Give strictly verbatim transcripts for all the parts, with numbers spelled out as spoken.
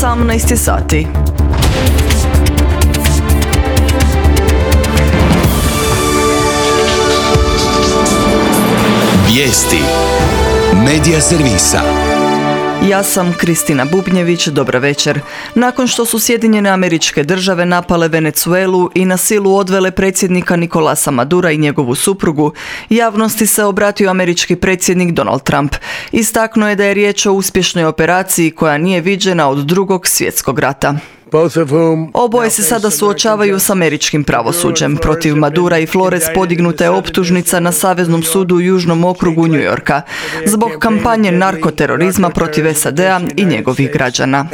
osamnaest je sati. Vijesti Medija servisa. Ja sam Kristina Bubnjević, dobra večer. Nakon što su Sjedinjene Američke Države napale Venezuelu i na silu odvele predsjednika Nicolasa Madura i njegovu suprugu, javnosti se obratio američki predsjednik Donald Trump. Istaknuo je da je riječ o uspješnoj operaciji koja nije viđena od Drugog svjetskog rata. Oboje se sada suočavaju s američkim pravosuđem. Protiv Madura i Flores podignuta je optužnica na Saveznom sudu u Južnom okrugu New Yorka zbog kampanje narkoterorizma protiv S A D-a i njegovih građana.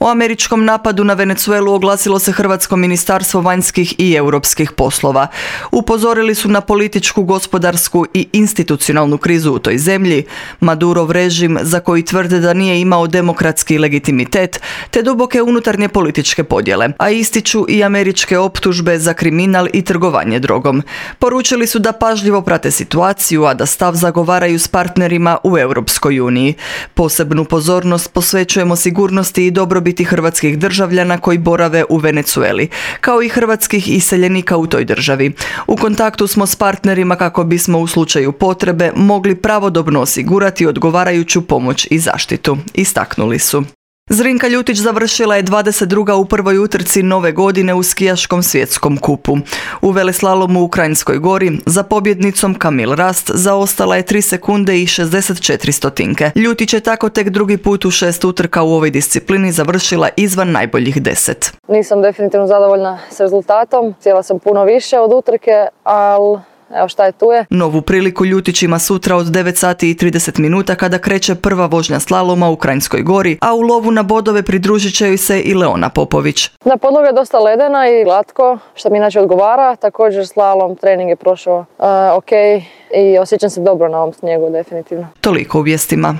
O američkom napadu na Venezuelu oglasilo se Hrvatsko ministarstvo vanjskih i europskih poslova. Upozorili su na političku, gospodarsku i institucionalnu krizu u toj zemlji, Madurov režim za koji tvrde da nije imao demokratski legitimitet, te duboke unutarnje političke podjele, a ističu i američke optužbe za kriminal i trgovanje drogom. Poručili su da pažljivo prate situaciju, a da stav zagovaraju s partnerima u Europskoj uniji. Posebnu pozornost posvećujemo sigurnosti i dobrobiti biti hrvatskih državljana koji borave u Venezueli, kao i hrvatskih iseljenika u toj državi. U kontaktu smo s partnerima kako bismo u slučaju potrebe mogli pravodobno osigurati odgovarajuću pomoć i zaštitu, istaknuli su. Zrinka Ljutić završila je dvadeset druga u prvoj utrci nove godine u skijaškom svjetskom kupu. U veleslalomu u Kranjskoj Gori za pobjednicom Camille Rast zaostala je tri sekunde i šezdeset četiri stotinke. Ljutić je tako tek drugi put u šest utrka u ovoj disciplini završila izvan najboljih deset. Nisam definitivno zadovoljna s rezultatom, htjela sam puno više od utrke, ali evo šta je tu je. Novu priliku Ljutić ima sutra od devet sati i trideset minuta kada kreće prva vožnja slaloma u Kranjskoj Gori, a u lovu na bodove pridružit će joj se i Leona Popović. Da, podloga je dosta ledena i glatko, što mi inače odgovara. Također slalom trening je prošao uh, ok i osjećam se dobro na ovom snijegu definitivno. Toliko u vijestima.